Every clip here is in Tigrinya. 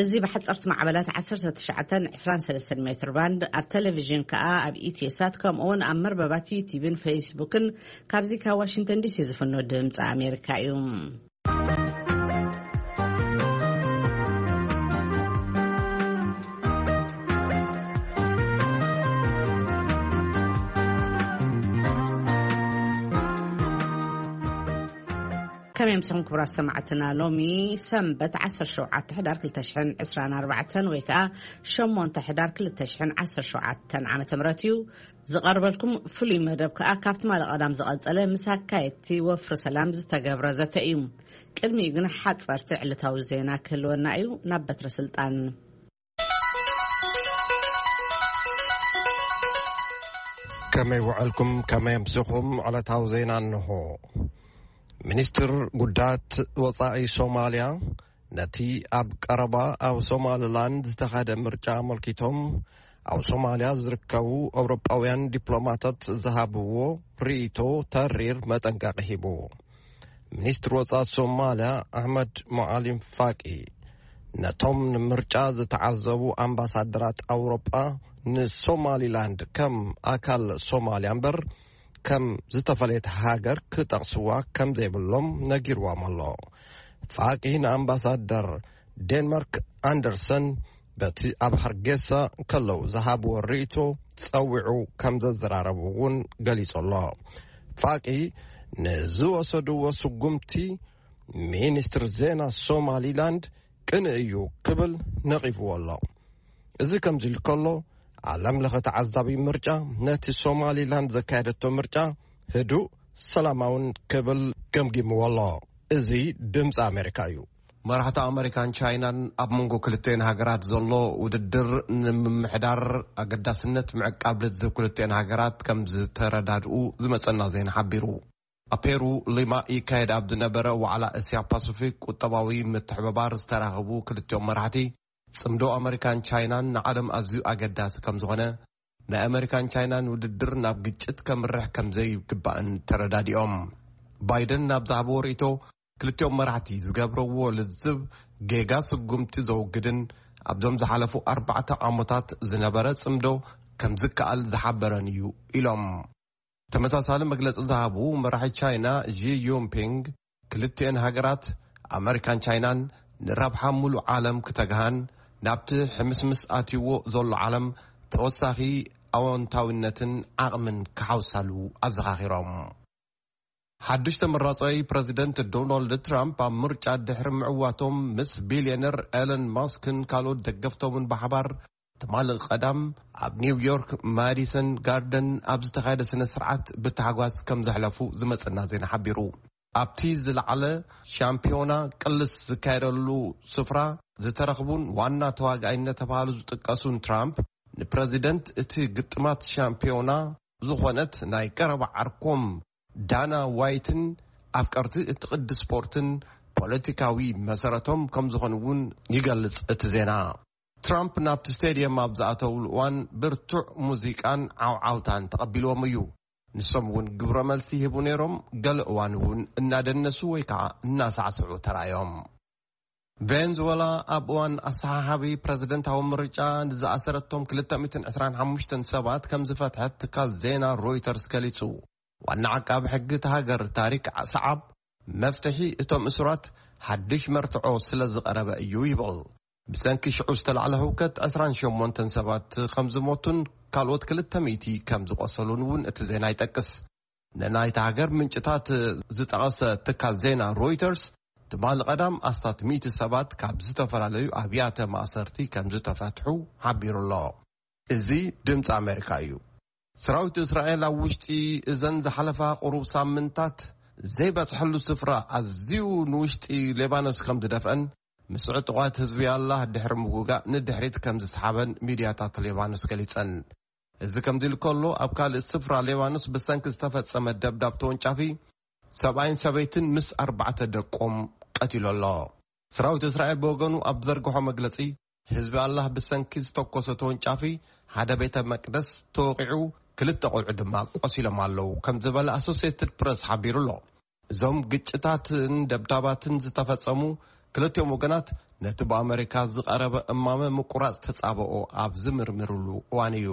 እዚ ብሓጸርቲ ማዕበላት ዓሰርተ ትሽዓተን ዕስራን ሰለስተን ሜትር ባንድ፣ ኣብ ቴሌቪዥን ከኣ ኣብ ኢትዮሳት፣ ከምኡውን ኣብ መርበባት ዩቲዩብን ፌስቡክን ካብዚ ካብ ዋሽንግተን ዲሲ ዝፍኖ ድምፂ ኣሜሪካ እዩ። ከመይ ኣምሲኹም ክቡራት ሰማዕትና? ሎሚ ሰንበት ዓሰርተ ሸውዓተ ሕዳር ክልተ ሽሕን ዕስራን ኣርባዕተን ወይ ከኣ ሸሞንተ ሕዳር ክልተ ሽሕን ዓሰርተ ሸውዓተን ዓመተ ምህረት እዩ። ዝቐርበልኩም ፍሉይ መደብ ከኣ ካብ ትማሊ ቀዳም ዝቐጸለ ምስ ኣካየድቲ ወፍሪ ሰላም ዝተገብረ ዘተ እዩ። ቅድሚኡ ግን ሓጸርቲ ዕለታዊ ዜና ክህልወና እዩ። ናብ በትረ ስልጣን። ከመይ ውዕልኩም? ከመይ ኣምሲኹም? ዕለታዊ ዜና እንሆ። ሚኒስትር ጉዳያት ወጻኢ ሶማልያ ነቲ ኣብ ቀረባ ኣብ ሶማሊላንድ ዝተኻየደ ምርጫ ኣመልኪቶም ኣብ ሶማልያ ዝርከቡ ኣውሮጳውያን ዲፕሎማታት ዝሃብዎ ርእይቶ ተሪር መጠንቀቒ ሂቡ። ሚኒስትር ወጻኢ ሶማልያ ኣሕመድ ሞዓሊም ፋቂ ነቶም ንምርጫ ዝተዓዘቡ ኣምባሳደራት ኣውሮጳ ንሶማሊላንድ ከም ኣካል ሶማልያ እምበር ከም ዝተፈለየት ሃገር ክጠቕስዋ ከም ዘይብሎም ነጊርዎም ኣሎ። ፋቂ ንኣምባሳደር ዴንማርክ ኣንደርሰን በቲ ኣብ ሃርጌሳ ከለዉ ዝሃብዎ ርእይቶ ጸዊዑ ከም ዘዘራረቡ እውን ገሊጹ ኣሎ። ፋቂ ንዝወሰድዎ ስጉምቲ ሚኒስትር ዜና ሶማሊላንድ ቅንእ እዩ ክብል ነቒፍዎ ኣሎ። እዚ ከምዚ ኢሉ ከሎ፣ ዓለም ለኸ ተዓዛቢ ምርጫ ነቲ ሶማሊላንድ ዘካየደቶ ምርጫ ህዱእ፣ ሰላማውን ክብል ገምጊምዎ ኣሎ። እዚ ድምፂ ኣሜሪካ እዩ። መራሕቲ ኣሜሪካን ቻይናን ኣብ መንጎ ክልተን ሃገራት ዘሎ ውድድር ንምምሕዳር ኣገዳስነት ምዕቃብ ልዝብ ክልተን ሃገራት ከም ዝተረዳድኡ ዝመጸና ዜና ሓቢሩ። ኣብ ፔሩ ሊማ ይካየድ ኣብ ዝነበረ ዋዕላ እስያ ፓሲፊክ ቁጠባዊ ምትሕብባር ዝተራኸቡ ክልቲኦም መራሕቲ፣ ጽምዶ ኣመሪካን ቻይናን ንዓለም ኣዝዩ ኣገዳሲ ከም ዝኾነ፣ ናይ ኣመሪካን ቻይናን ውድድር ናብ ግጭት ከምርሕ ከም ዘይግባእን ተረዳዲኦም። ባይደን ናብ ዝሃብዎ ርእይቶ፣ ክልቲኦም መራሕቲ ዝገብረዎ ልዝብ ጌጋ ስጉምቲ ዘውግድን ኣብዞም ዝሓለፉ ኣርባዕተ ዓመታት ዝነበረ ጽምዶ ከም ዝከኣል ዝሓበረን እዩ ኢሎም። ተመሳሳሊ መግለጺ ዝሃቡ መራሒ ቻይና ዢ ጂንፒንግ፣ ክልቲኤን ሃገራት ኣመሪካን ቻይናን ንረብሓ ሙሉእ ዓለም ክተግሃን ናብቲ ሕምስምስ ኣትይዎ ዘሎ ዓለም ተወሳኺ ኣወንታዊነትን ዓቕምን ክሓውሳሉ ኣዘኻኺሮም። ሓድሽ ተመራጻይ ፕረዚደንት ዶናልድ ትራምፕ ኣብ ምርጫ ድሕሪ ምዕዋቶም ምስ ቢልዮነር ኤለን ማስክን ካልኦት ደገፍቶምን ብሓባር ትማሊ ቀዳም ኣብ ኒውዮርክ ማዲሰን ጋርደን ኣብ ዝተኻየደ ስነ ስርዓት ብታሕጓስ ከም ዘሕለፉ ዝመጸና ዜና ሓቢሩ። ኣብቲ ዝለዓለ ሻምፒዮና ቅልስ ዝካየደሉ ስፍራ ዝተረኽቡን ዋና ተዋጋኢ እናተባሃሉ ዝጥቀሱን ትራምፕ፣ ንፕረዚደንት እቲ ግጥማት ሻምፒዮና ዝኾነት ናይ ቀረባ ዓርኮም ዳና ዋይትን ኣፍቀርቲ እቲ ቅዲ ስፖርትን ፖለቲካዊ መሰረቶም ከም ዝኾኑ እውን ይገልጽ እቲ ዜና። ትራምፕ ናብቲ ስቴድየም ኣብ ዝኣተውሉ እዋን ብርቱዕ ሙዚቃን ዓውዓውታን ተቐቢልዎም እዩ። ንሶም እውን ግብረ መልሲ ይህቡ ነይሮም፣ ገለ እዋን እውን እናደነሱ ወይ ከዓ እናሳዕስዑ ተራእዮም። ቬንዙዌላ ኣብ እዋን ኣሰሓሓቢ ፕረዚደንታዊ ምርጫ ንዝኣሰረቶም ክልተ ሚእትን ዕስራን ሓሙሽተን ሰባት ከም ዝፈትሐት ትካል ዜና ሮይተርስ ገሊጹ። ዋና ዓቃቢ ሕጊ እታ ሃገር ታሪክ ሰዓብ፣ መፍትሒ እቶም እሱራት ሓድሽ መርትዖ ስለ ዝቐረበ እዩ ይብል። ብሰንኪ ሽዑ ዝተላዕለ ህውከት ዕስራን ሸሞንተን ሰባት ከም ዝሞቱን ካልኦት ክልተ ሚእቲ ከም ዝቖሰሉን እውን እቲ ዜና ይጠቅስ። ንናይታ ሃገር ምንጭታት ዝጠቐሰ ትካል ዜና ሮይተርስ፣ ትማሊ ቀዳም ኣስታት ሚእቲ ሰባት ካብ ዝተፈላለዩ ኣብያተ ማእሰርቲ ከም ዝተፈትሑ ሓቢሩ ኣሎ። እዚ ድምፂ ኣሜሪካ እዩ። ሰራዊት እስራኤል ኣብ ውሽጢ እዘን ዝሓለፋ ቁሩብ ሳምንታት ዘይበጽሐሉ ስፍራ ኣዝዩ ንውሽጢ ሌባኖስ ከም ዝደፍአን፣ ምስ ዕጡቓት ህዝቢ ኣላህ ድሕሪ ምውጋእ ንድሕሪት ከም ዝሰሓበን ሚድያታት ሌባኖስ ገሊጸን። እዚ ከምዚ ኢሉ ከሎ፣ ኣብ ካልእ ስፍራ ሌባኖስ ብሰንኪ ዝተፈጸመ ደብዳብ ተወንጫፊ ሰብኣይን ሰበይትን ምስ ኣርባዕተ ደቆም ቀቲሉ ኣሎ። ሰራዊት እስራኤል ብወገኑ ኣብ ዘርግሖ መግለጺ፣ ህዝቢ ኣላህ ብሰንኪ ዝተኮሰ ተወንጫፊ ሓደ ቤተ መቅደስ ተወቒዑ፣ ክልተ ቆልዑ ድማ ቆሲሎም ኣለዉ ከም ዝበለ ኣሶሲየትድ ፕረስ ሓቢሩ ኣሎ። እዞም ግጭታትን ደብዳባትን ዝተፈጸሙ ክልቲኦም ወገናት ነቲ ብኣመሪካ ዝቐረበ እማመ ምቁራጽ ተጻብኦ ኣብ ዝምርምርሉ እዋን እዩ።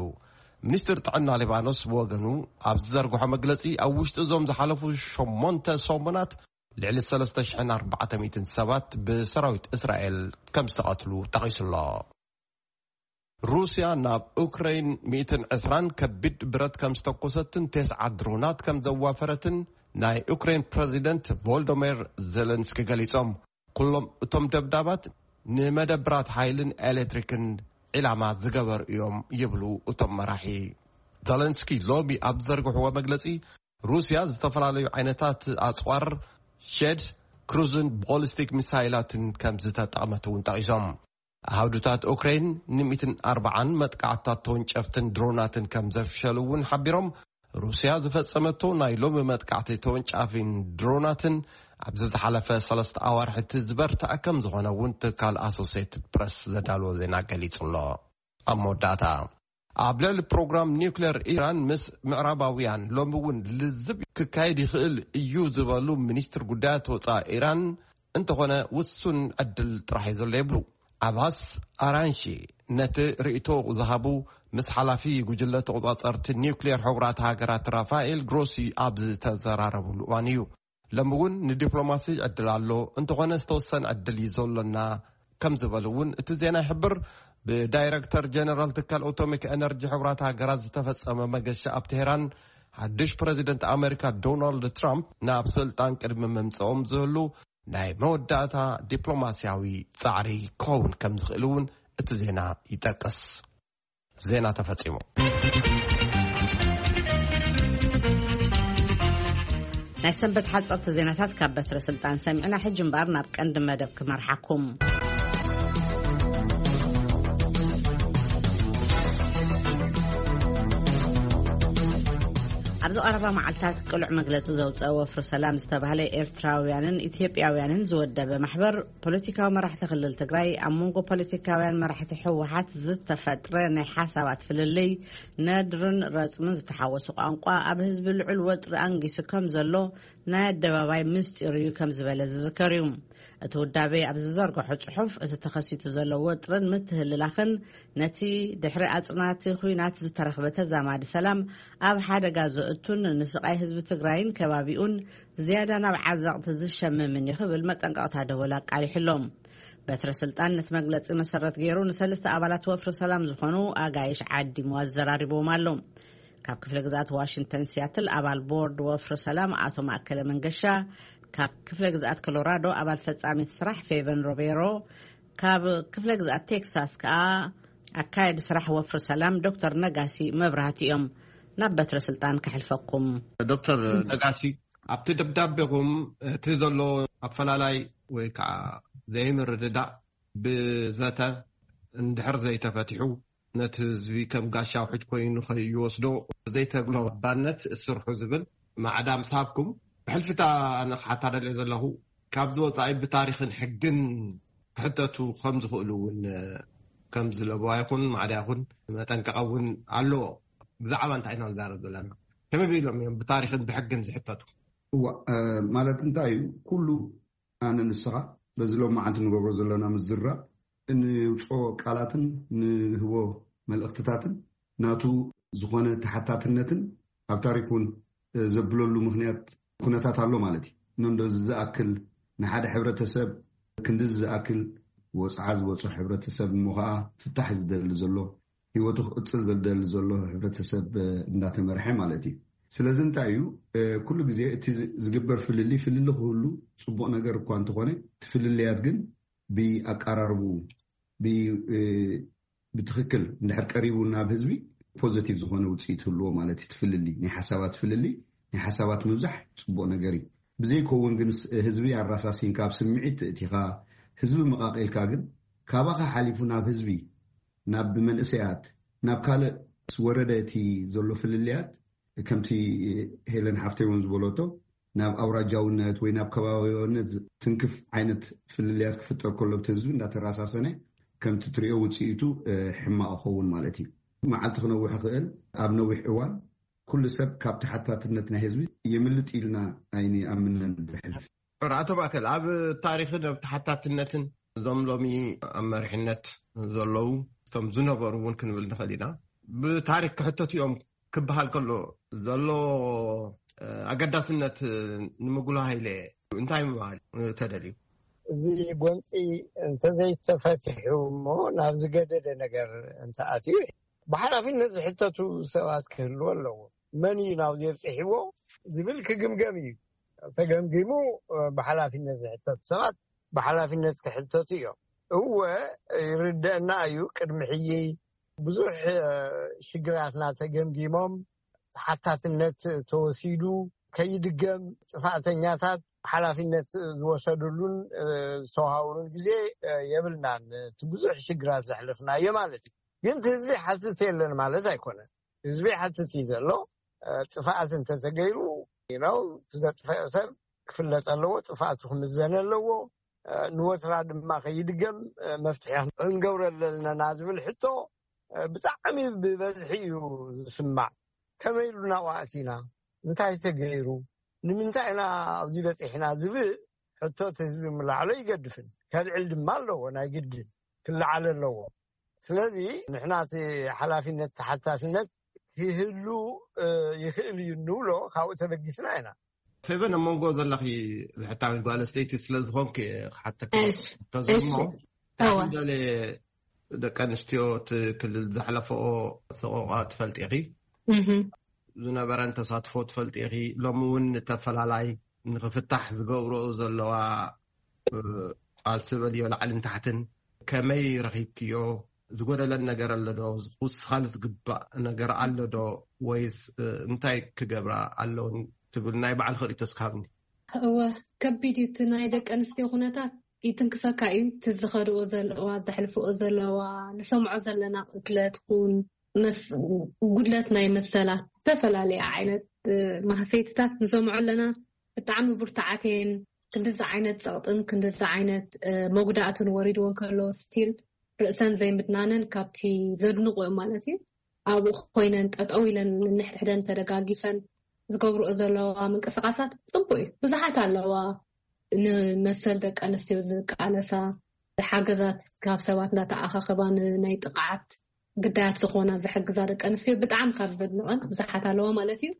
ሚኒስትር ጥዕና ሊባኖስ ብወገኑ ኣብ ዝዘርግሖ መግለጺ፣ ኣብ ውሽጢ እዞም ዝሓለፉ ሸሞንተ ሰሙናት ልዕሊ ሰለስተ ሽሕን ኣርባዕተ ሚእትን ሰባት ብሰራዊት እስራኤል ከም ዝተቐትሉ ጠቒሱ ኣሎ። ሩስያ ናብ ኡክረይን ሚእትን ዕስራን ከቢድ ብረት ከም ዝተኮሰትን ቴስዓ ድሮናት ከም ዘዋፈረትን ናይ ኡክረይን ፕረዚደንት ቮልዶሜር ዜለንስኪ ገሊጾም። ኩሎም እቶም ደብዳባት ንመደብራት ሓይልን ኤሌክትሪክን ዒላማ ዝገበሩ እዮም ይብሉ እቶም መራሒ። ዘለንስኪ ሎሚ ኣብ ዝዘርግሕዎ መግለጺ፣ ሩስያ ዝተፈላለዩ ዓይነታት ኣጽዋር፣ ሸድ፣ ክሩዝን ቦሊስቲክ ሚሳይላትን ከም ዝተጠቐመት እውን ጠቒሶም። ኣሃዱታት ኡክሬን ንሚእትን ኣርባዓን መጥቃዕትታት ተወንጨፍትን ድሮናትን ከም ዘፍሸሉ እውን ሓቢሮም። ሩስያ ዝፈጸመቶ ናይ ሎሚ መጥቃዕቲ ተወንጫፊን ድሮናትን ኣብዚ ዝሓለፈ ሰለስተ ኣዋርሕ እቲ ዝበርትዐ ከም ዝኾነ እውን ትካል ኣሶሴትድ ፕረስ ዘዳልዎ ዜና ገሊጹ ኣሎ። ኣብ መወዳእታ፣ ኣብ ልዕሊ ፕሮግራም ኒውክሌር ኢራን ምስ ምዕራባውያን ሎሚ እውን ልዝብ ክካየድ ይኽእል እዩ ዝበሉ ሚኒስትር ጉዳያት ወፃኢ ኢራን፣ እንተኾነ ውሱን ዕድል ጥራሕ እዩ ዘሎ ይብሉ። ዓባስ ኣራንሺ ነቲ ርእይቶ ዝሃቡ ምስ ሓላፊ ጉጅለ ተቆጻጸርቲ ኒውክሌር ሕቡራት ሃገራት ራፋኤል ግሮሲ ኣብ ዝተዘራረብሉ እዋን እዩ። ሎሚ እውን ንዲፕሎማሲ ዕድል ኣሎ፣ እንተኾነ ዝተወሰነ ዕድል እዩ ዘሎና ከም ዝበሉ እውን እቲ ዜና ይሕብር። ብዳይረክተር ጀነራል ትካል ኣቶሚክ ኤነርጂ ሕቡራት ሃገራት ዝተፈጸመ መገሻ ኣብ ቴሄራን፣ ሓድሽ ፕረዚደንት ኣሜሪካ ዶናልድ ትራምፕ ናብ ስልጣን ቅድሚ ምምጽኦም ዝህሉ ናይ መወዳእታ ዲፕሎማስያዊ ጻዕሪ ክኸውን ከም ዝኽእል እውን እቲ ዜና ይጠቅስ። ዜና ተፈጺሙ። ናይ ሰንበት ሓጸርቲ ዜናታት ካብ በትረ ስልጣን ሰሚዕና፣ ሕጂ እምበኣር ናብ ቀንዲ መደብ ክመርሓኩም። ኣብዚ ቀረባ መዓልታት ቅሉዕ መግለጺ ዘውፀአ ወፍሪ ሰላም ዝተባህለ ኤርትራውያንን ኢትዮጵያውያንን ዝወደበ ማሕበር፣ ፖለቲካዊ መራሕቲ ክልል ትግራይ ኣብ መንጎ ፖለቲካውያን መራሕቲ ህወሓት ዝተፈጥረ ናይ ሓሳባት ፍልልይ፣ ነድርን ረፅምን ዝተሓወሱ ቋንቋ ኣብ ህዝቢ ልዑል ወጥሪ ኣንጊሱ ከም ዘሎ ናይ ኣደባባይ ምስጢር እዩ ከም ዝበለ ዝዝከር እዩ። እቲ ውዳቤ ኣብ ዝዘርግሖ ጽሑፍ፣ እቲ ተኸሲቱ ዘሎ ወጥርን ምትህልላኽን ነቲ ድሕሪ ኣጽናቲ ኹናት ዝተረኽበ ተዛማዲ ሰላም ኣብ ሓደጋ ዘእቱን ንስቓይ ህዝቢ ትግራይን ከባቢኡን ዝያዳ ናብ ዓዘቕቲ ዝሸምምን እዩ ክብል መጠንቀቕታ ደወል ኣቃሊሑ ኣሎ። በትረ ስልጣን ነቲ መግለጺ መሰረት ገይሩ ንሰለስተ ኣባላት ወፍሪ ሰላም ዝኾኑ ኣጋይሽ ዓዲሙ ኣዘራሪብዎም ኣሎ። ካብ ክፍለ ግዝኣት ዋሽንግተን ሲያትል ኣባል ቦርድ ወፍሪ ሰላም ኣቶ ማእከለ መንገሻ፣ ካብ ክፍለ ግዝኣት ኮሎራዶ ኣባል ፈጻሚት ስራሕ ፌቨን ሮቤሮ፣ ካብ ክፍለ ግዝኣት ቴክሳስ ከኣ ኣካየዲ ስራሕ ወፍሪ ሰላም ዶክተር ነጋሲ መብራህቲ እዮም። ናብ በትረ ስልጣን ከሕልፈኩም። ዶክተር ነጋሲ፣ ኣብቲ ደብዳቤኹም እቲ ዘሎ ኣፈላላይ ወይ ከዓ ዘይምርድዳእ ብዘተ እንድሕር ዘይተፈቲሑ፣ ነቲ ህዝቢ ከም ጋሻ ውሕጅ ኮይኑ ከይወስዶ ዘይተግሎ ባነት እስርሑ ዝብል ማዕዳ ምስ ሃብኩም፣ ብሕልፊታ ኣነ ክሓታ ደልየ ዘለኹ፣ ካብዚ ወጻኢ ብታሪኽን ሕግን ክሕተቱ ከም ዝኽእሉ እውን ከም ዝለበዋ ይኹን ማዕዳ ይኹን መጠንቀቐ እውን ኣለዎ። ብዛዕባ እንታይ ኢና ንዛረብ ዘለና? ከመይ ኢሎም እዮም ብታሪኽን ብሕግን ዝሕተቱ? እዋ፣ እ፣ ማለት እንታይ እዩ? ኩሉ ኣነ ንስኻ በዚ ሎም መዓልቲ ንገብሮ ዘለና ምዝራብ፣ እንውፅኦ ቃላትን ንህቦ መልእኽትታትን ናቱ ዝኾነ ተሓታትነትን ኣብ ታሪክ እውን፣ እ፣ ዘብለሉ ምኽንያት ኩነታት ኣሎ ማለት እዩ። እሞ እንደዚ ዝኣክል ንሓደ ሕብረተሰብ ክንድዚ ዝኣክል ወፅዓ ዝበፅሖ ሕብረተሰብ እሞ ከዓ ፍታሕ ዝደሊ ዘሎ፣ ህይወቱ ክቕፅል ዝደሊ ዘሎ ሕብረተሰብ፣ እ፣ እንዳተመርሐ ማለት እዩ። ስለዚ እንታይ እዩ፣ እ፣ ኩሉ ግዜ እቲ ዝ-፣ ዝግበር ፍልልይ፣ ፍልልይ ክህሉ ፅቡቕ ነገር እኳ እንተኾነ፣ እቲ ፍልልያት ግን ብኣቀራርብኡ፣ ብ-፣ እ፣ ብትኽክል እንድሕር ቀሪቡ ናብ ህዝቢ ፖዘቲቭ ዝኾነ ውፅኢት ህልዎ ማለት እዩ። እቲ ፍልልይ፣ ናይ ሓሳባት ፍልልይ፣ ናይ ሓሳባት ምብዛሕ ፅቡቕ ነገር እዩ። ብዘይከውን ግን ስ-፣ ህዝቢ ኣራሳሲንካ ኣብ ስምዒት እቲኻ ህዝቢ መቓቒልካ ግን ካባኻ ሓሊፉ ናብ ህዝቢ፣ ናብ መንእሰያት፣ ናብ ካልእ ወረደ እቲ ዘሎ ፍልልያት ከምቲ ሄለን ሓፍተይ እውን ዝበለቶ ናብ ኣውራጃውነት ወይ ናብ ከባቢያውነት ትንክፍ ዓይነት ፍልልያት ክፍጠር ከሎ ብቲ ህዝቢ እንዳተራሳሰነ ከምቲ ትሪኦ ውፅኢቱ፣ እ፣ ሕማቕ ይኸውን ማለት እዩ። መዓልቲ ክነውሕ ይኽእል። ኣብ ነዊሕ እዋን ኩሉ ሰብ ካብ ተሓታትነት ናይ ህዝቢ የምልጥ ኢልና ኣይንኣምንን ብሕልፊ። ራእቶ ማእከል ኣብ ታሪኽን ኣብ ተሓታትነትን እዞም ሎሚ ኣብ መሪሕነት ዘለዉ እቶም ዝነበሩ እውን ክንብል ንኽእል ኢና። ብታሪክ ክሕተቱ እዮም ክበሃል ከሎ ዘሎ ኣገዳስነት ንምጉላህ ኢለ እንታይ ምባል ተደልዩ? እዚ ጎንፂ እንተዘይተፈትሑ እሞ ናብ ዝገደደ ነገር እንተኣትዩ ብሓላፍነት ዝሕተቱ ሰባት ክህልዎ ኣለዎ። መን እዩ ናብ ዘብፅሕዎ ዝብል ክግምገም እዩ። ተገምጊሙ ብሓላፍነት ዝሕተቱ ሰባት ብሓላፍነት ክሕተቱ እዮም። እወ ይርደአና እዩ። ቅድሚ ሕጂ ብዙሕ ሽግራትና ተገምጊሞም ተሓታትነት ተወሲዱ ከይድገም ጥፋእተኛታት ሓላፍነት ዝወሰዱሉን ዝተዋሃብሉን ግዜ የብልናን። እቲ ብዙሕ ሽግራት ዘሕለፍናዮ ማለት እዩ። ግን ህዝቢ ሓትት የለን ማለት ኣይኮነን። ህዝቢ ሓትት እዩ ዘሎ። ጥፍኣት እንተተገይሩ ነው ዘጥፈአ ሰብ ክፍለጥ ኣለዎ። ጥፍኣቱ ክምዘን ኣለዎ። ንወትራ ድማ ከይድገም መፍትሒ ክንገብረሉ ኣለና ዝብል ሕቶ ብጣዕሚ ብበዝሒ እዩ ዝስማዕ። ከመይ ኢሉ ናብኡ ኣቲና? እንታይ ተገይሩ? ንምንታይ ኢና ኣብዚ በፂሕና ዝብል ሕቶ እቲ ህዝቢ ምላዕሎ ይገድፍን ከልዕል ድማ ኣለዎ። ናይ ግድን ክለዓል ኣለዎ። ስለዚ ንሕና እቲ ሓላፊነት ተሓታትነት ክህሉ ይኽእል እዩ እንብሎ ካብኡ ተበጊስና ኢና። ፌበን ኣብ መንጎ ዘለኺ ብሕታዊት ጓል ኣስተይቲ ስለ ዝኾንክ ክሓተክ ተዘሞ ታሕንደለ ደቂ ኣንስትዮ እቲ ክልል ዘሕለፈኦ ሰቆቃ ትፈልጢ ኢኺ። ዝነበረን ተሳትፎ ትፈልጢ ኢኺ። ሎሚ እውን ተፈላላይ ንኽፍታሕ ዝገብርኦ ዘለዋ ቃልሲ በልዮ ላዕልን ታሕትን ከመይ ረኺብክዮ? ዝጎደለን ነገር ኣሎ ዶ? ዝውስኻሉ ዝግባእ ነገር ኣሎ ዶ? ወይስ እንታይ ክገብራ ኣለውን ትብል ናይ ባዕልኺ ርእይቶ እስኪ ሃብኒ። እወ፣ ከቢድ እዩ እቲ ናይ ደቂ ኣንስትዮ ኩነታት። ይትንክፈካ እዩ። እቲ ዝኸድኦ ዘለዋ፣ ዘሕልፍኦ ዘለዋ፣ ንሰምዖ ዘለና ቅትለት ኩን መስ- ጉድለት ናይ መሰላት፣ ዝተፈላለየ ዓይነት ማህሰይትታት ንሰምዖ ኣለና። ብጣዕሚ ብርቱዓት እየን። ክንድዚ ዓይነት ፀቕጥን ክንድዚ ዓይነት መጉዳእትን ወሪድወን ከሎ ስቲል ርእሰን ዘይምድናነን ካብቲ ዘድንቑ እዮም ማለት እዩ። ኣብኡ ኮይነን ጠጠው ኢለን ንሕድሕደን ተደጋጊፈን ዝገብርኦ ዘለዋ ምንቅስቃሳት ፅቡቅ እዩ። ብዙሓት ኣለዋ ንመሰል ደቂ ኣንስትዮ ዝቃለሳ፣ ሓገዛት ካብ ሰባት እንዳተኣኻኸባ ንናይ ጥቕዓት ግዳያት ዝኾና ዝሕግዛ ደቂ ኣንስትዮ ብጣዕሚ ካብ ዘድንቐን ብዙሓት ኣለዋ ማለት እዩ።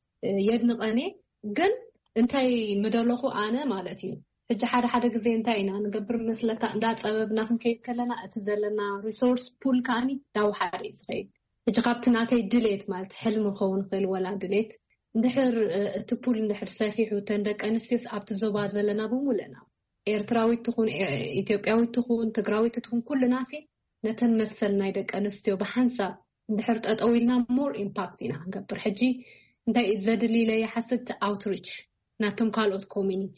የድንቐን እየ። ግን እንታይ ምደለኹ ኣነ ማለት እዩ፣ ሕጂ ሓደ ሓደ ግዜ እንታይ ኢና ንገብር መስለካ፣ እንዳፀበብና ክንከይድ ከለና እቲ ዘለና ሪሶርስ ፑል ከዓኒ እንዳወሓደ እዩ ዝኸይድ። ሕጂ ካብቲ ናተይ ድሌት ማለት ሕልሚ ክኸውን ይኽእል ወላ ድሌት እንድሕር እቲ ፑል እንድሕር ሰፊሑ እተን ደቂ ኣንስትዮስ ኣብቲ ዞባ ዘለና ብምሉእና ኤርትራዊት ትኹን ኢትዮጵያዊት ትኹን ትግራዊት ትኹን ኩልና ሲ ነተን መሰል ናይ ደቂ ኣንስትዮ ብሓንሳብ እንድሕር ጠጠው ኢልና ሞር ኢምፓክት ኢና ክንገብር። ሕጂ እንታይ እዩ ዘድሊ ኢለ ይሓስብ? ኣውትሪች ናቶም ካልኦት ኮሚኒቲ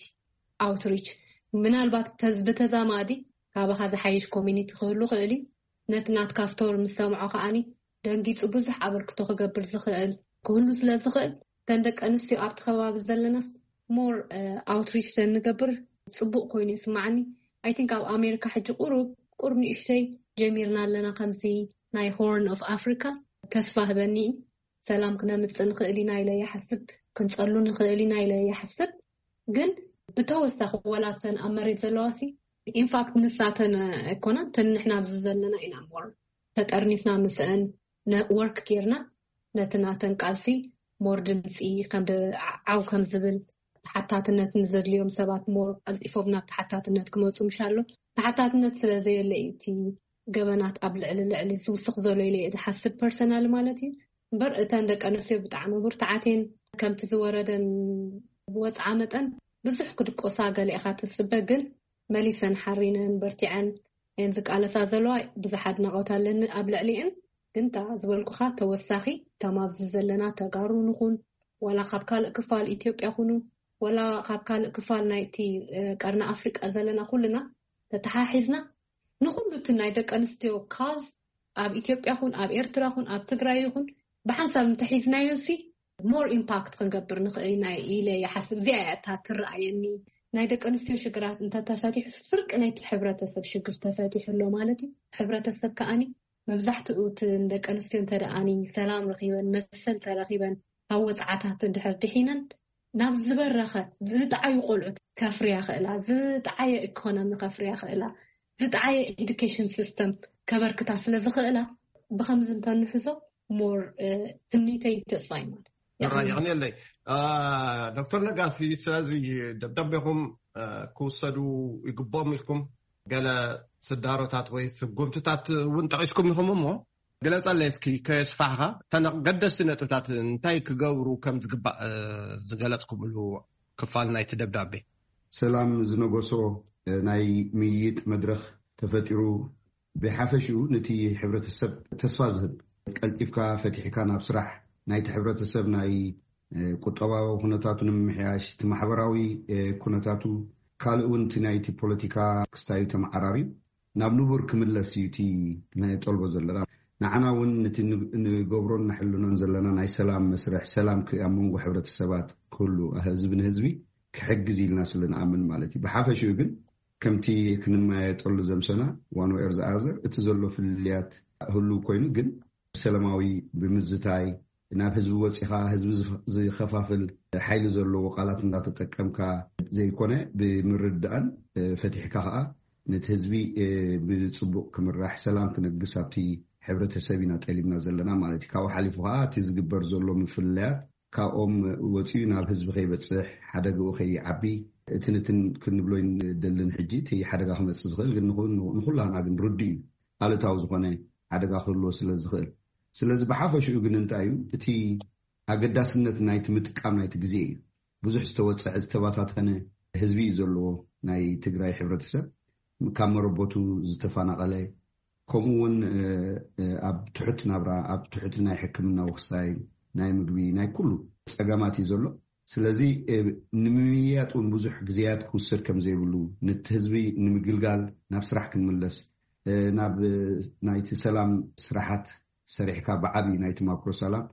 ኣውትሪች ምናልባት ብተዛማዲ ካባኻ ዝሓይሽ ኮሚኒቲ ክህሉ ክእል እዩ። ነቲ ናትካ ስቶሪ ምስ ሰምዖ ከዓኒ ደንጊጹ ብዙሕ ኣበርክቶ ክገብር ዝኽእል ክህሉ ስለ ዝኽእል እተን ደቂ ኣንስትዮ ኣብቲ ከባቢ ዘለናስ ሞር ኣውትሪች ተንገብር ጽቡቕ ኮይኑ ይስማዓኒ። ኣይ ቲንክ ኣብ ኣሜሪካ ሕጂ ቁሩብ ቁሩብ ንእሽተይ ጀሚርና ኣለና ከምዚ ናይ ሆርን ኦፍ ኣፍሪካ። ተስፋ ህበኒ እዩ። ሰላም ክነምፅእ ንኽእል ኢና ኢለ ይሓስብ። ክንፀሉ ንኽእል ኢና ኢለ ይሓስብ። ግን ብተወሳኺ ወላተን ኣብ መሬት ዘለዋ ሲ ኢንፋክት ንሳተን ኣይኮናን ተን ንሕና ኣብዚ ዘለና ኢና ሞር ተጠርኒፍና ምስአን ወርክ ጌርና ነቲ ናተን ቃልሲ ሞር ድምፂ ዓው ከም ዝብል ተሓታትነት ንዘድልዮም ሰባት ሞር ቀልጢፎም ናብ ተሓታትነት ክመፁ ምሻሎ ተሓታትነት ስለ ዘየለ እዩ እቲ ገበናት ኣብ ልዕሊ ልዕሊ ዝውስኽ ዘሎ ኢለ ዝሓስብ ፐርሰናል ማለት እዩ። እምበር እተን ደቂ ኣንስትዮ ብጣዕሚ ብርትዓት እየን። ከምቲ ዝወረደን ዝወፅዓ መጠን ብዙሕ ክድቆሳ ገለ ኢኻ ትፅበ፣ ግን መሊሰን ሓሪነን በርቲዐን እየን ዝቃለሳ ዘለዋ። ብዙሕ ኣድናቆት ኣለኒ ኣብ ልዕሊአን። ግን እታ ዝበልኩኻ ተወሳኺ እቶም ኣብዚ ዘለና ተጋሩ ንኹን ዋላ ካብ ካልእ ክፋል ኢትዮጵያ ኩኑ ዋላ ካብ ካልእ ክፋል ናይቲ ቀርኒ ኣፍሪቃ ዘለና ኩልና ተተሓሒዝና ንኩሉ እቲ ናይ ደቂ ኣንስትዮ ካዝ ኣብ ኢትዮጵያ ኩን ኣብ ኤርትራ ኩን ኣብ ትግራይ ይኹን ብሓንሳብ እንተሒዝናዮ ሲ ሞር ኢምፓክት ክንገብር ንኽእል ኢና ኢለ ይሓስብ። እዚኣ እያ እታ ትረኣየኒ ናይ ደቂ ኣንስትዮ ሽግራት እንተተፈቲሑ ፍርቂ ናይቲ ሕብረተሰብ ሽግር ተፈቲሑ ኣሎ ማለት እዩ። ሕብረተሰብ ከዓኒ መብዛሕትኡ እቲ ደቂ ኣንስትዮ እንተ ደኣኒ ሰላም ረኺበን መሰል ተረኺበን ካብ ወፅዓታት እንድሕር ድሒነን ናብ ዝበረኸ ዝጠዓዩ ቆልዑት ከፍርያ ክእላ፣ ዝጠዓየ ኢኮኖሚ ከፍርያ ክእላ፣ ዝጠዓየ ኤዱኬሽን ሲስተም ከበርክታ ስለ ዝኽእላ፣ ብኸምዚ እንተንሕዞ ሞር ትምኒተይ ተስፋ እዩ ማለት። ራይ ይቕንየለይ። ዶክተር ነጋሲ፣ ስለዚ ደብዳቤኹም ክውሰዱ ይግብኦም ኢልኩም ገለ ስዳሮታት ወይ ስጉምትታት እውን ጠቒስኩም ኢኹም እሞ፣ ግለፀለይ እስኪ ከየስፋሕኻ እተን ገደስቲ ነጥብታት እንታይ ክገብሩ ከም ዝግባእ ዝገለፅኩምሉ ክፋል ናይቲ ደብዳቤ። ሰላም ዝነገሶ ናይ ምይይጥ መድረኽ ተፈጢሩ፣ ብሓፈሽኡ ነቲ ሕብረተሰብ ተስፋ ዝህብ፣ ቀልጢፍካ ፈቲሕካ ናብ ስራሕ፣ ናይቲ ሕብረተሰብ ናይ ቁጠባዊ ኩነታቱ ንምምሕያሽ፣ እቲ ማሕበራዊ ኩነታቱ፣ ካልእ እውን እቲ ናይቲ ፖለቲካ ክስታዩ ተመዓራርዩ ናብ ንቡር ክምለስ እዩ እቲ ነጠልቦ ዘለና። ንዓና እውን ነቲ ንገብሮን ነሕልኖን ዘለና ናይ ሰላም መስርሕ፣ ሰላም ኣብ መንጎ ሕብረተሰባት ክህሉ፣ ህዝቢ ንህዝቢ ክሕግዝ ኢልና ስለ ንኣምን ማለት እዩ። ብሓፈሽኡ ግን ከምቲ ክንመያየጠሉ ዘምሰና ዋን ወር ዝኣዘር እቲ ዘሎ ፍልልያት ህሉ ኮይኑ ግን ሰላማዊ ብምዝታይ ናብ ህዝቢ ወፂኻ ህዝቢ ዝኸፋፍል ሓይሊ ዘለዎ ቃላት እንዳተጠቀምካ ዘይኮነ ብምርዳእን ፈቲሕካ ከዓ ነቲ ህዝቢ ብፅቡቅ ክምራሕ ሰላም ክነግስ ኣብቲ ሕብረተሰብ ኢና ጠሊብና ዘለና ማለት እዩ። ካብኡ ሓሊፉ ከዓ እቲ ዝግበር ዘሎ ምፍልለያት ካብኦም ወፂኡ ናብ ህዝቢ ከይበፅሕ ሓደግኡ ከይዓቢ እቲ ንትን ክንብሎ ደልን ሕጂ እቲ ሓደጋ ክመፅእ ዝኽእል ግን ንኹላህና ግን ርዱ እዩ ኣሉታዊ ዝኾነ ሓደጋ ክህልዎ ስለ ዝኽእል። ስለዚ ብሓፈሽኡ ግን እንታይ እዩ እቲ ኣገዳስነት ናይቲ ምጥቃም ናይቲ ግዜ እዩ። ብዙሕ ዝተወፀዐ ዝተባታተነ ህዝቢ እዩ ዘለዎ ናይ ትግራይ ሕብረተሰብ ካብ መረቦቱ ዝተፈናቐለ ከምኡ እውን ኣብ ትሑት ናብራ ኣብ ትሑት ናይ ሕክምና ውክሳይ ናይ ምግቢ ናይ ኩሉ ፀገማት እዩ ዘሎ። ስለዚ ንምምያጥ እውን ብዙሕ ግዜያት ክውሰድ ከም ዘይብሉ ነቲ ህዝቢ ንምግልጋል ናብ ስራሕ ክንምለስ ናብ ናይቲ ሰላም ስራሓት ሰሪሕካ ብዓብዪ ናይቲ ማክሮ ሰላም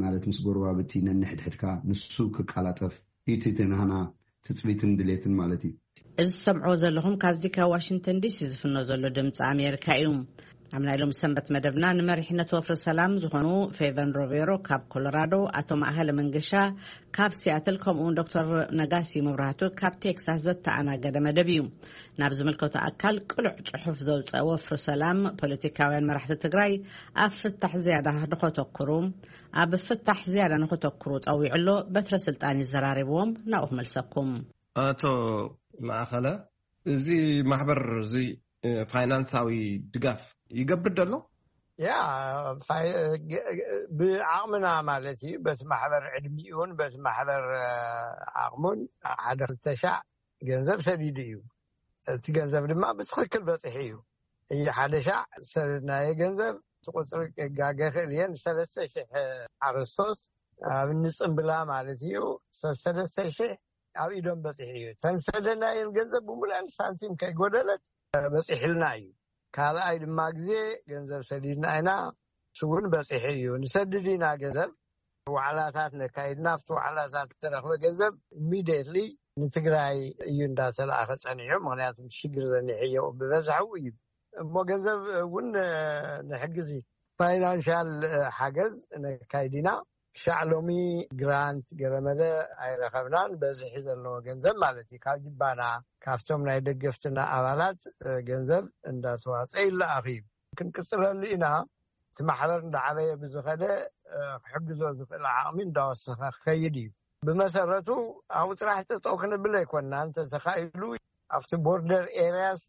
ማለት ምስ ጎረባብቲ ነንሕድሕድካ ንሱ ክቃላጠፍ እቲ ናህና ትፅቢትን ድሌትን ማለት እዩ። እዚ ትሰምዕዎ ዘለኹም ካብዚ ካብ ዋሽንግተን ዲሲ ዝፍኖ ዘሎ ድምፂ ኣሜሪካ እዩ። ኣብ ናይ ሎም ሰንበት መደብና ንመሪሕነት ወፍሪ ሰላም ዝኾኑ ፌቨን ሮቤሮ ካብ ኮሎራዶ፣ ኣቶ ማእኸለ መንገሻ ካብ ሲያትል ከምኡውን ዶክተር ነጋሲ መብራህቱ ካብ ቴክሳስ ዘተኣናገደ መደብ እዩ። ናብ ዝምልከቱ ኣካል ቅሉዕ ፅሑፍ ዘውፀአ ወፍሪ ሰላም ፖለቲካውያን መራሕቲ ትግራይ ኣብ ፍታሕ ዝያዳ ንኸተኩሩ ኣብ ፍታሕ ዝያዳ ንኸተኩሩ ፀዊዑ ኣሎ። በትረ ስልጣን ይዘራረብዎም ናብኡ ክመልሰኩም። ኣቶ ማእኸለ፣ እዚ ማሕበር እዚ ፋይናንሳዊ ድጋፍ ይገብር ደሎ? ያ ብዓቕምና ማለት እዩ። በቲ ማሕበር ዕድሚኡን በቲ ማሕበር ዓቕሙን ሓደ ክልተ ሻዕ ገንዘብ ሰዲዱ እዩ። እቲ ገንዘብ ድማ ብትኽክል በፂሑ እዩ። እየ ሓደ ሻዕ ሰደድናየ ገንዘብ እቲ ቁፅሪ ክጋገ ክእል እየ። ንሰለስተ ሽሕ ሓረስቶት ኣብ ንፅምብላ ማለት እዩ ሰለስተ ሽሕ ኣብ ኢዶም በፂሑ እዩ። ተንሰደናየን ገንዘብ ብምሉአን ሳንቲም ከይጎደለት በፂሕልና እዩ። ካልኣይ ድማ ግዜ ገንዘብ ሰዲድና ኢና፣ እሱ እውን በፂሑ እዩ። ንሰድድ ኢና ገንዘብ ዋዕላታት ነካይድና ኣብቲ ዋዕላታት ዝተረኽበ ገንዘብ ኢሚድየትሊ ንትግራይ እዩ እንዳተለኣኸ ፀኒሑ። ምክንያቱ ሽግር ዘኒሐዮ ብበዝሐው እዩ እሞ ገንዘብ እውን ንሕግዝ ፋይናንሻል ሓገዝ ነካይድ ኢና። ክሻዕ ሎሚ ግራንት ገረመለ ኣይረኸብናን። በዝሒ ዘለዎ ገንዘብ ማለት እዩ ካብ ጅባና ካብቶም ናይ ደገፍትና ኣባላት ገንዘብ እንዳተዋፀ ይለኣኽ እዩ። ክንቅፅለሉ ኢና። እቲ ማሕበር እንዳዓበየ ብዝኸደ ክሕግዞ ዝኽእል ዓቕሚ እንዳወሰኸ ክኸይድ እዩ። ብመሰረቱ ኣብኡ ጥራሕ ጠጠው ክንብል ኣይኮንና። እንተተኻኢሉ ኣብቲ ቦርደር ኤርያስ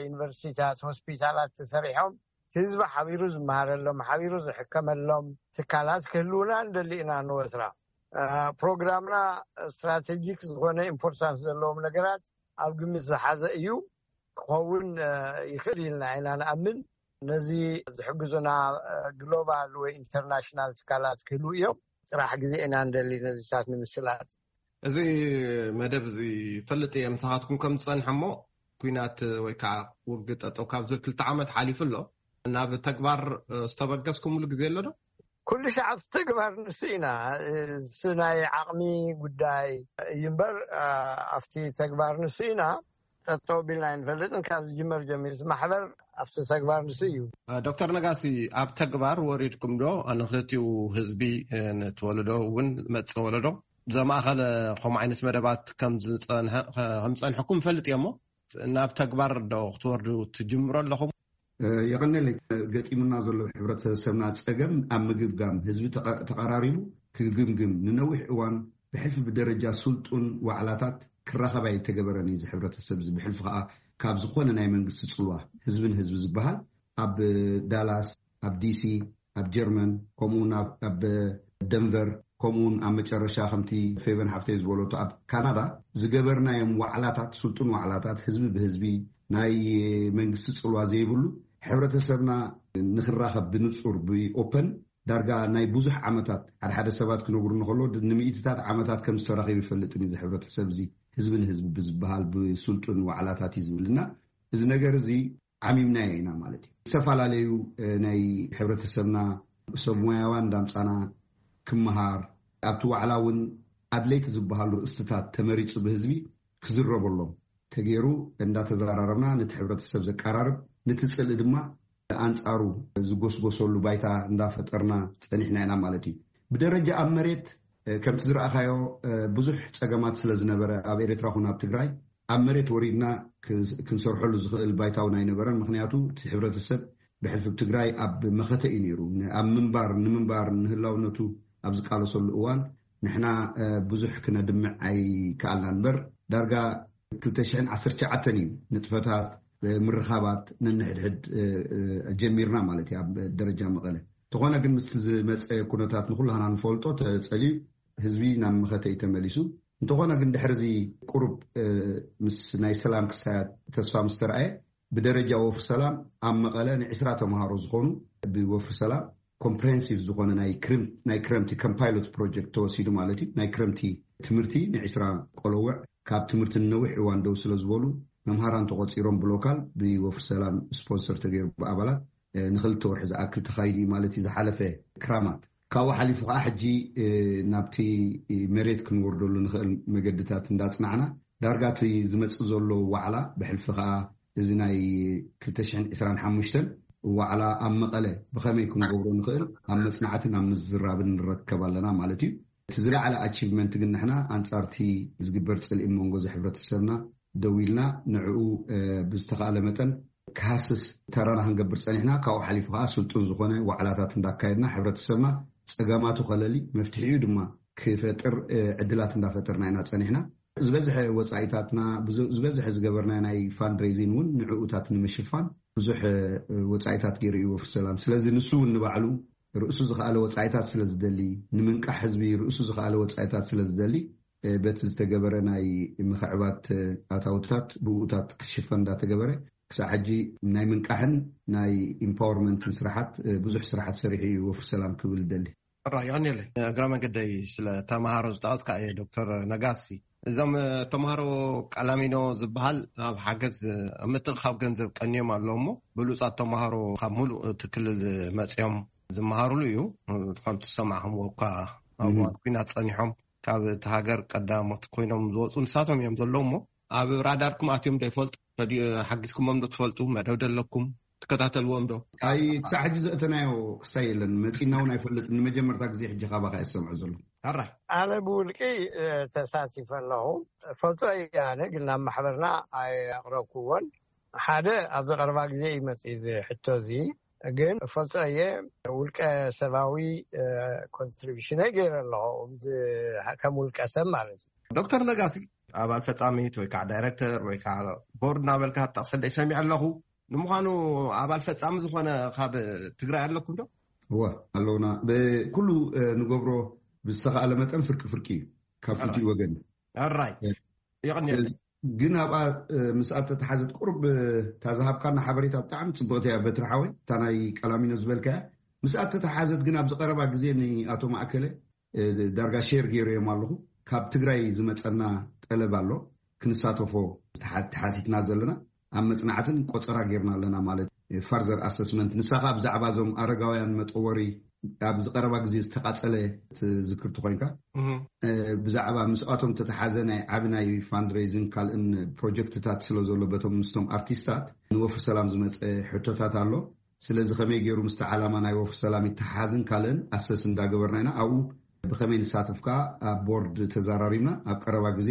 ዩኒቨርሲቲታት ሆስፒታላት ተሰሪሖም ህዝቢ ሓቢሩ ዝመሃረሎም ሓቢሩ ዝሕከመሎም ትካላት ክህልውና እንደሊ ኢና። ንወስራ ፕሮግራምና ስትራቴጂክ ዝኾነ ኢምፖርታንስ ዘለዎም ነገራት ኣብ ግምት ዝሓዘ እዩ። ክኸውን ይኽእል ኢልና ኢና ንኣምን። ነዚ ዝሕግዙና ግሎባል ወይ ኢንተርናሽናል ትካላት ክህልው እዮም። ፅራሕ ግዜ ኢና እንደሊ ነዚታት ንምስላጥ። እዚ መደብ እዚ ፈልጥ እየ ምሳኻትኩም ከም ዝፀንሐ እሞ ኩናት ወይ ከዓ ውግእ ጠጠው ካብ ዝብል ክልተ ዓመት ሓሊፉ ኣሎ። ናብ ተግባር ዝተበገስኩምሉ ግዜ ኣሎ ዶ? ኩሉ ሻዕ ኣብቲ ተግባር ንሱ ኢና። እሱ ናይ ዓቕሚ ጉዳይ እዩ እምበር ኣብቲ ተግባር ንሱ ኢና። ጠጠው ቢልና ኣይንፈልጥን። ካብ ዝጅመር ጀሚሩ ማሕበር ኣብቲ ተግባር ንሱ እዩ። ዶክተር ነጋሲ፣ ኣብ ተግባር ወሪድኩም ዶ ንክልቲኡ ህዝቢ፣ ነቲ ወለዶ እውን መፅእ ወለዶ ዘማእኸለ ከምኡ ዓይነት መደባት ከም ዝጸንሐ- ከም ዝጸንሐኩም እፈልጥ እየ። እሞ ናብ ተግባር ዶ ክትወርዱ ትጅምሩ ኣለኹም? የቐነለይ። ገጢሙና ዘሎ ሕብረተሰብና ጸገም ኣብ ምግምጋም፣ ህዝቢ ተቐ- ተቐራሪቡ ክግምግም፣ ንነዊሕ እዋን ብሕልፊ ብደረጃ ስልጡን ዋዕላታት ክራኸብ ኣይተገበረን እዩ። እዚ ሕብረተሰብ እዚ ብሕልፊ ከዓ ካብ ዝኾነ ናይ መንግስቲ ጽልዋ፣ ህዝብን ህዝቢ ዝበሃል ኣብ ዳላስ፣ ኣብ ዲሲ፣ ኣብ ጀርመን፣ ከምኡ እውን ኣብ ኣብ ደንቨር፣ ከምኡ እውን ኣብ መጨረሻ ከምቲ ፌቨን ሓፍተይ ዝበለቶ ኣብ ካናዳ ዝገበርናዮም ዋዕላታት፣ ስልጡን ዋዕላታት፣ ህዝቢ ብህዝቢ፣ ናይ መንግስቲ ጽልዋ ዘይብሉ፣ ሕብረተሰብና ንኽራኸብ ብንጹር ብኦፐን ዳርጋ ናይ ብዙሕ ዓመታት፣ ሓደ ሓደ ሰባት ክነግሩ እንከሎ፣ ንምኢትታት ዓመታት ከም ዝተራኸቡ ይፈልጥን እዩ። እዚ ሕብረተሰብ እዚ ህዝቢ ንህዝቢ ብዝበሃል ብስልጡን ዋዕላታት እዩ ዝብልና። እዚ ነገር እዚ ዓሚምናዮ ኢና ማለት እዩ። ዝተፈላለዩ ናይ ሕብረተሰብና ሰብ ሞያዋን እንዳምጻና ክመሃር፣ ኣብቲ ዋዕላ እውን ኣድለይቲ ዝበሃሉ ርእስትታት ተመሪጹ ብህዝቢ ክዝረበሎም ተገይሩ፣ እንዳተዘራረብና ነቲ ሕብረተሰብ ዘቀራርብ፣ ነቲ ጽልኢ ድማ ኣንጻሩ ዝጎስጎሰሉ ባይታ እንዳፈጠርና ጸኒሕና ኢና ማለት እዩ። ብደረጃ ኣብ መሬት ከምቲ ዝረኣኻዮ ብዙሕ ጸገማት ስለ ዝነበረ፣ ኣብ ኤርትራ ኹን ኣብ ትግራይ ኣብ መሬት ወሪድና ክንሰርሐሉ ዝኽእል ባይታ እውን ኣይነበረን። ምክንያቱ እቲ ሕብረተሰብ ብሕልፊ ትግራይ ኣብ መኸተ እዩ ነይሩ። ኣብ ምንባር ንምንባር ንህላውነቱ ኣብ ዝቃለሰሉ እዋን ንሕና ብዙሕ ክነድምዕ ኣይከኣልና። እምበር ዳርጋ ክልተ ሽሕን ዓሰርተ ትሽዓተን እዩ ንጥፈታት ምርኻባት ነንሕድሕድ ጀሚርና ማለት እዩ። ኣብ ደረጃ መቐለ እንተኾነ ግን ምስቲ ዝመፀ ኩነታት ንኩላህና ንፈልጦ ተፀልዩ ህዝቢ ናብ መኸተ እዩ ተመሊሱ። እንተኾነ ግን ድሕሪ እዚ ቁሩብ ምስ ናይ ሰላም ክሳያት ተስፋ ምስ ተረኣየ ብደረጃ ወፍሪ ሰላም ኣብ መቐለ ንዒስራ ተምሃሮ ዝኾኑ ብወፍሪ ሰላም ኮምፕሬሄንሲቭ ዝኾነ ናይ ክርምት ናይ ክረምቲ ከም ፓይሎት ፕሮጀክት ተወሲዱ ማለት እዩ። ናይ ክረምቲ ትምህርቲ ንዒስራ ቆለውዕ ካብ ትምህርቲ ንነዊሕ እዋን ደው ስለ ዝበሉ መምሃራን ተቆፂሮም ብሎካል ብወፍሪ ሰላም ስፖንሰር ተገይሩ ብኣባላት ንክልተ ወርሒ ዝኣክል ተኻይዱ እዩ ማለት እዩ ዝሓለፈ ክራማት። ካብኡ ሓሊፉ ከዓ ሕጂ ናብቲ መሬት ክንወርደሉ ንኽእል መገድታት እንዳፅናዕና ዳርጋ እቲ ዝመፅእ ዘሎ ዋዕላ ብሕልፊ ከዓ እዚ ናይ ክልተ ሽሕን ዕስራን ሓሙሽተን ዋዕላ ኣብ መቐለ ብኸመይ ክንገብሮ ንኽእል ኣብ መፅናዕትን ኣብ ምዝራብን ንረከብ ኣለና ማለት እዩ። እቲ ዝለዓለ ኣቺቭመንት ግን ንሕና ኣንፃርቲ ዝግበር ፅልኢ መንጎ እዚ ሕብረተሰብና ደው ኢልና ንዕኡ ብዝተኻእለ መጠን ክሃስስ ተራና ክንገብር ፀኒሕና። ካብኡ ሓሊፉ ከዓ ስልጡን ዝኾነ ዋዕላታት እንዳካየድና ሕብረተሰብና ፀገማቱ ከለሊ መፍትሒኡ ድማ ክፈጥር ዕድላት እንዳፈጠርና ኢና ፀኒሕና። ዝበዝሐ ወፃኢታትና ዝበዝሐ ዝገበርና ናይ ፋንድሬዚን እውን ንዕኡታት ንምሽፋን ብዙሕ ወፃኢታት ገይሩ እዩ ወፍሪ ሰላም። ስለዚ ንሱ እውን ንባዕሉ ርእሱ ዝኸኣለ ወፃኢታት ስለ ዝደሊ ንምንቃሕ ህዝቢ ርእሱ ዝኸኣለ ወፃኢታት ስለ ዝደሊ በቲ ዝተገበረ ናይ ምኽዕባት ኣታውታት ብኡታት ክሽፈን እንዳተገበረ ክሳብ ሕጂ ናይ ምንቃሕን ናይ ኢምፓወርመንትን ስራሓት ብዙሕ ስራሓት ሰሪሑ እዩ ወፍሪ ሰላም ክብል ደሊ። ራ ይቐኒለይ። እግረ መንገደይ ስለ ተምሃሮ ዝጠቐስካ እየ ዶክተር ነጋሲ። እዞም ተምሃሮ ቀላሚኖ ዝበሃል ኣብ ሓገዝ ኣብ ምትእኻብ ገንዘብ ቀንዮም ኣለዉ እሞ ብሉፃት ተምሃሮ ካብ ሙሉእ እቲ ክልል መፅዮም ዝመሃሩሉ እዩ። ከምቲ ዝሰማዕኹምዎ እኳ ኣብ እዋን ኲናት ፀኒሖም ካብ እቲ ሃገር ቀዳሞት ኮይኖም ዝወፁ ንሳቶም እዮም ዘለዉ እሞ ኣብ ራዳርኩም ኣትዮም ዶ ይፈልጡ? ረድዮ ሓጊዝኩሞም ዶ ትፈልጡ? መደብ ደለኩም ትከታተልዎም ዶ? ኣይ ክሳዕ ሕጂ ዘእተናዮ ክሳይ የለን መፂና እውን ኣይፈልጥን። ንመጀመርታ ግዜ ሕጂ ካባኻ እየ ዝሰምዖ ዘለኹ። ኣራ ኣነ ብውልቂ ተሳቲፈ ኣለኹ። ፈልጦ እየ ኣነ ግን ናብ ማሕበርና ኣይኣቕረብኩዎን። ሓደ ኣብዚ ቀረባ ግዜ እዩ መፂ እዚ ሕቶ እዚ ግን ፈልጦ እየ ውልቀ ሰባዊ ኮንትሪቢሽነይ ገይረ ኣለኹ ከም ውልቀ ሰብ ማለት እዩ። ዶክተር ነጋሲ ኣባል ፈፃሚት ወይ ከዓ ዳይረክተር ወይ ከዓ ቦርድ እናበልካ ትጠቕሰለይ ሰሚዐ ኣለኹ። ንምዃኑ ኣባል ፈፃሚ ዝኾነ ካብ ትግራይ ኣለኩም ዶ? እወ ኣለውና። ብኩሉ ንገብሮ ብዝተኻእለ መጠን ፍርቂ ፍርቂ እዩ ካብ ክልቲኡ ወገን። ኣራይ የቐንየለይ። ግን ኣብኣ ምስ ኣተተሓዘት ቁሩብ እታ ዝሃብካና ሓበሬታ ብጣዕሚ ፅብቕቲ እያ በትሪ ሓወይ። እታ ናይ ቀላሚኖ ዝበልካ እያ ምስ ኣተተሓዘት ግን ኣብዚ ቀረባ ግዜ ንኣቶ ማእከለ ዳርጋ ሼር ገይረዮም ኣለኹ። ካብ ትግራይ ዝመፀና ጠለብ ኣሎ ክንሳተፎ ተሓቲትና ዘለና ኣብ መፅናዕትን ቆፀራ ጌርና ኣለና ማለት። ፋርዘር ኣሰስመንት ንሳኻ ብዛዕባ እዞም ኣረጋውያን መጠወሪ ኣብ ዝቀረባ ግዜ ዝተቃፀለ ትዝክርቲ ኮይንካ ብዛዕባ ምስኣቶም ተተሓዘ ናይ ዓቢ ናይ ፋንድሬዝን ካልእን ፕሮጀክትታት ስለ ዘሎ በቶም ምስቶም ኣርቲስታት ንወፍሪ ሰላም ዝመፀ ሕቶታት ኣሎ። ስለዚ ከመይ ገይሩ ምስቲ ዓላማ ናይ ወፍሪ ሰላም ይተሓሓዝን ካልእን ኣሰስ እንዳገበርና ኢና። ኣብኡ ብኸመይ ንሳተፍ ከኣ ኣብ ቦርድ ተዘራሪብና፣ ኣብ ቀረባ ግዜ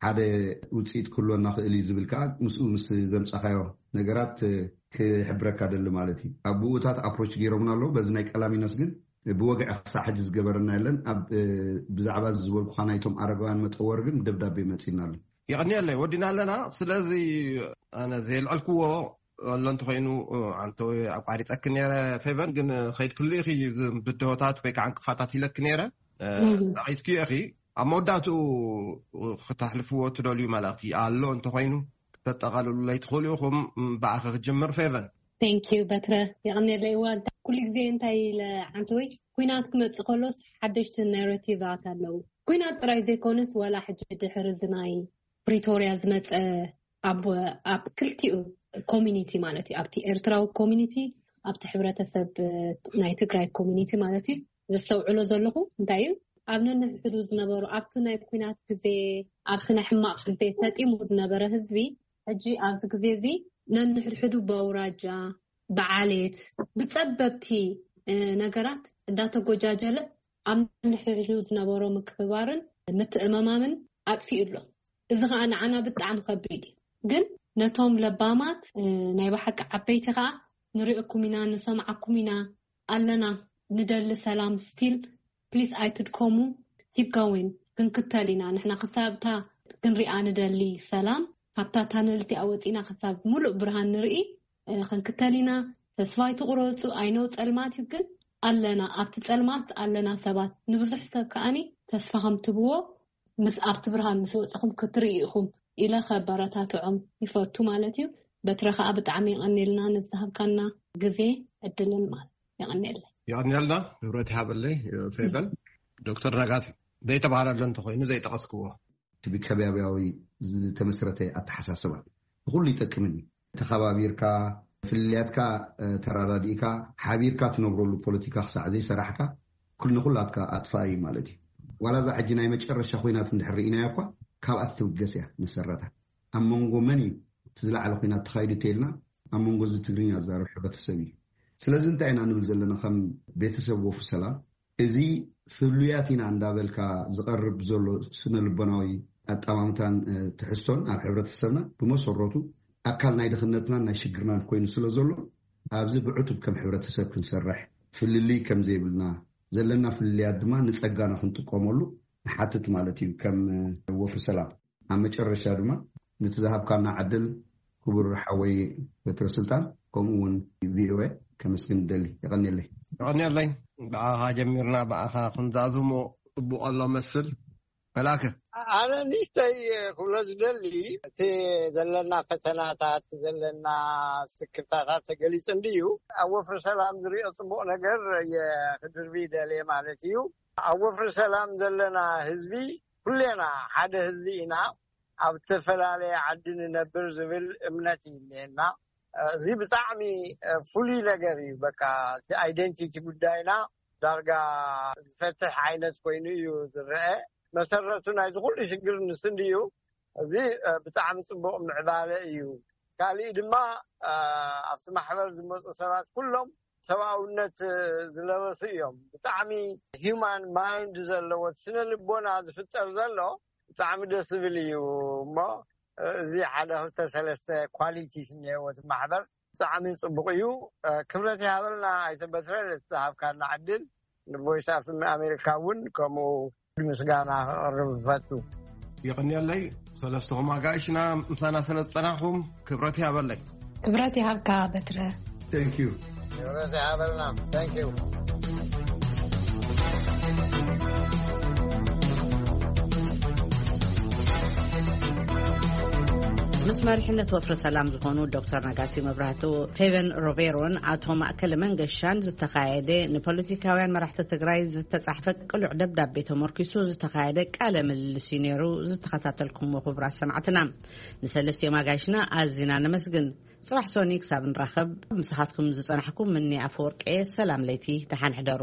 ሓደ ውፅኢት ክህልወና ክእል እዩ ዝብል ከኣ ምስኡ ምስ ዘምፃኻዮ ነገራት ክሕብረካ ደሊ ማለት እዩ። ኣብ ብኡታት ኣፕሮች ገይሮምና ኣለዉ። በዚ ናይ ቀላሚኖስ ግን ብወግዒ ክሳዕ ሕጂ ዝገበረና የለን። ኣብ ብዛዕባ ዝበልኩኻ ናይቶም ኣረጋውያን መጠወር ግን ደብዳቤ መፂና ኣሎ። የቐንየለይ፣ ወዲና ኣለና። ስለዚ ኣነ ዘየልዐልክዎ ኣሎ እንተኾይኑ፣ ኣንተ ኣቋሪፀኪ ነይረ ፌቨን፣ ግን ከይድክሉ ኢኺ ብድሆታት ወይ ከዓ ዕንቅፋታት ኢለኪ ነይረ። ዛቒትክዮ ኢኺ። ኣብ መወዳእትኡ ክተሕልፍዎ ትደልዩ መልእኽቲ ኣሎ እንተኾይኑ ክተጠቓልሉለይ ትኽእሉ ኢኹም። ብኣኺ ክጅምር ፌቨን። ቴንኪዩ በትረ። የቐንየለይ። እዋ ኩሉ ግዜ እንታይ ኢለ፣ ዓንተወይ፣ ኩናት ክመፅእ ከሎስ ሓደሽቲ ናራቲቫት ኣለዉ። ኩናት ጥራይ ዘይኮነስ ዋላ ሕጂ ድሕሪ እዚ ናይ ፕሪቶርያ ዝመፀ ኣብ ኣብ ክልቲኡ ኮሚኒቲ ማለት እዩ፣ ኣብቲ ኤርትራዊ ኮሚኒቲ፣ ኣብቲ ሕብረተሰብ ናይ ትግራይ ኮሚኒቲ ማለት እዩ። ዘስተውዕሎ ዘለኹ እንታይ እዩ፣ ኣብ ነንሕድሕዱ ዝነበሩ፣ ኣብቲ ናይ ኩናት ግዜ፣ ኣብቲ ናይ ሕማቕ ግዜ ሰጢሙ ዝነበረ ህዝቢ፣ ሕጂ ኣብዚ ግዜ እዚ ነንሕድሕዱ ብኣውራጃ፣ ብዓሌት፣ ብጸበብቲ ነገራት እንዳተጎጃጀለ ኣብ ነንሕድሕዱ ዝነበሮ ምክብባርን ምትእምማምን ኣጥፊኡ ኣሎ። እዚ ኸኣ ንዓና ብጣዕሚ ከቢድ እዩ። ግን ነቶም ለባማት፣ ናይ ብሓቂ ዓበይቲ ኸኣ፣ ንሪእኩም ኢና፣ ንሰምዓኩም ኢና፣ ኣለና፣ ንደሊ ሰላም፣ ስቲል ፕሊስ ኣይትድከሙ፣ ኪፕ ጎዊን፣ ክንክተል ኢና። ንሕና ክሳብ እታ ክንሪኣ ንደሊ ሰላም፣ ካብታ ታነል እቲኣ ወፂና ክሳብ ሙሉእ ብርሃን ንርኢ፣ ክንክተል ኢና። ተስፋ ኣይትቑረፁ። ኣይነው ጸልማት እዩ፣ ግን ኣለና፣ ኣብቲ ጸልማት ኣለና ሰባት። ንብዙሕ ሰብ ከኣኒ ተስፋ ከም ትብዎ ምስ ኣብቲ ብርሃን ምስ ወፅኹም ክትርኢ ኢኹም ኢለ ከበረታትዖም ይፈቱ ማለት እዩ። በትረ ከዓ ብጣዕሚ የቐንየልና ንዝሃብካና ግዜ ዕድልን ማለት የቐንየለይ። የቐንየልና። ክብረት ይሃበለይ ፌቨን። ዶክተር ነጋሲ፣ ዘይተባህለሎ እንተኾይኑ ዘይጠቐስክዎ። እቲ ብከባቢያዊ ዝተመስረተ ኣተሓሳስባ ንኹሉ ይጠቅምን እዩ። ተኸባቢርካ፣ ፍልልያትካ ተረዳዲእካ፣ ሓቢርካ ትነብረሉ ፖለቲካ ክሳዕ ዘይሰራሕካ፣ ኩሉ ንኹላትካ ኣጥፋእ እዩ ማለት እዩ። ዋላ እዛ ሕጂ ናይ መጨረሻ ኮይናት እንድሕር ርኢናያ እኳ፣ ካብኣ ትብገስ እያ መሰረታ። ኣብ መንጎ መን እዩ እቲ ዝለዓለ ኮይናት ተኻይዱ ተይልና፣ ኣብ መንጎ እዚ ትግርኛ ዝዛረብ ሕብረተሰብ እዩ። ስለዚ እንታይ ኢና ንብል ዘለና ከም ቤተሰብ ወፍሪ ሰላም? እዚ ፍሉያት ኢና እንዳበልካ ዝቐርብ ዘሎ ስነ ልቦናዊ ኣጠማምታን ትሕዝቶን ኣብ ሕብረተሰብና ብመሰረቱ ኣካል ናይ ድኽነትናን ናይ ሽግርናን ኮይኑ ስለ ዘሎ፣ ኣብዚ ብዕቱብ ከም ሕብረተሰብ ክንሰርሕ፣ ፍልልይ ከም ዘይብልና፣ ዘለና ፍልልያት ድማ ንጸጋና ክንጥቀመሉ ንሓትት ማለት እዩ ከም ወፍሪ ሰላም። ኣብ መጨረሻ ድማ ነቲ ዝሃብካና ዕድል ክቡር ሓወይ በትረ ስልጣን ከምኡ እውን ቪኦኤ ከመስግን እደሊ። የቐንየለይ። የቐንየለይ። ብኣኻ ጀሚርና ብኣኻ ክንዛዝሞ ጽቡቕ ኣሎ መስል። መላከ። ኣነ ንእሽተይ ክብሎ ዝደሊ፣ እቲ ዘለና ፈተናታት፣ ዘለና ስክፍታታት ተገሊጹ እንድዩ። ኣብ ወፍሪ ሰላም ዝሪኦ ጽቡቕ ነገር ክድርቢ ይደልየ ማለት እዩ። ኣብ ወፍሪ ሰላም ዘለና ህዝቢ ኩሌና ሓደ ህዝቢ ኢና። ኣብ ዝተፈላለየ ዓዲ ንነብር ዝብል እምነት እዩ እኒኤና። እዚ ብጣዕሚ ፍሉይ ነገር እዩ። በቃ እቲ ኣይደንቲቲ ጉዳይና ዳርጋ ዝፈትሕ ዓይነት ኮይኑ እዩ ዝረአ። መሰረቱ ናይዚ ኩሉ ሽግር ንሱ እንድዩ። እዚ ብጣዕሚ ፅቡቕ ምዕባለ እዩ። ካሊእ ድማ ኣብቲ ማሕበር ዝመፁ ሰባት ኩሎም ሰብኣውነት ዝለበሱ እዮም። ብጣዕሚ ሂውማን ማይንድ ዘለዎ ስነ ልቦና ዝፍጠር ዘሎ ብጣዕሚ ደስ ዝብል እዩ። እሞ እዚ ሓደ ክልተ ሰለስተ ኳሊቲስ እኒሄዎ እቲ ማሕበር ብጣዕሚ ፅቡቕ እዩ። ክብረት ይሃበልና ኣይተ በትረ ነቲ ዝሃብካና ዕድል፣ ንቮይስ ኣፍ ኣሜሪካ እውን ከምኡ ምስጋና ክቕርብ ዝፈቱ። ይቕንየለይ። ሰለስትኹም ኣጋይሽና ምሳና ስለ ዝጸናሕኹም ክብረት ይሃበለይ። ክብረት ይሃብካ በትረ። Thank you። ክብረት ይሃበልና። Thank you። ምስ መሪሕነት ወፍሪ ሰላም ዝኾኑ ዶክተር ነጋሲ መብራህቱ፣ ፌቨን ሮቤሮን ኣቶ ማእከለ መንገሻን ዝተኻየደ ንፖለቲካውያን መራሕቲ ትግራይ ዝተጻሕፈ ቅሉዕ ደብዳቤ ተመርኪሱ ዝተኻየደ ቃለ ምልልስ እዩ ነይሩ ዝተኸታተልኩምዎ ክቡራት ሰማዕትና። ንሰለስቲኦም ኣጋይሽና ኣዚና ነመስግን። ጽባሕ ሶኒ ክሳብ ንራኸብ ምሳኻትኩም ዝጸናሕኩ ምኒ ኣፈወርቂ እየ። ሰላም ለይቲ፣ ደሓን ሕደሩ።